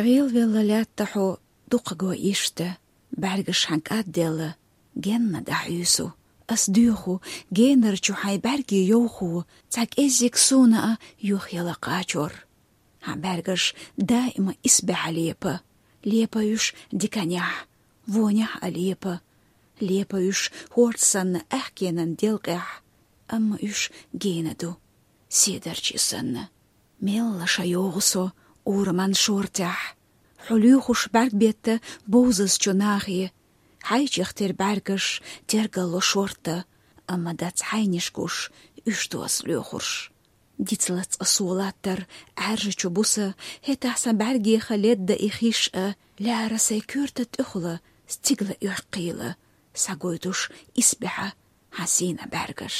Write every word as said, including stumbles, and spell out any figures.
Гъелвелла лаьтта хьо дукхаго иштта, бӀаьргаш хьан кӀадделла, генна дӀахьуьйсу. Ас доьху, генарчу хьайн бӀаьрге йовхо, цхьа кӀеззиг суна а юхъяла кхачор. Хьан бӀаьргаш даима исбаьхьа лепа, лепа уьш диканехь, вонехь а лепа, лепа уьш хӀорд санна аьхкенан делкъехь, амма уьш гена ду, седарчий санна. Мелла ша йогӀу со ураман шортехь, хьо лоьхуш бӀаьрг бетта бовзазчу нахе, хьайчех тера бӀаьргаш тергалло шортта, амма дац хьайнишкуш уьш доса лоьхурш. Дицлац аса латтар Ӏаьржачу буса, хӀетахь сан бӀаьргеха ледда и хиш а, лаьара сайн коьрта тӀехула, стигла оьккхийла, схьагойдуш исбаьхьа хьан сийна бӀаьргаш.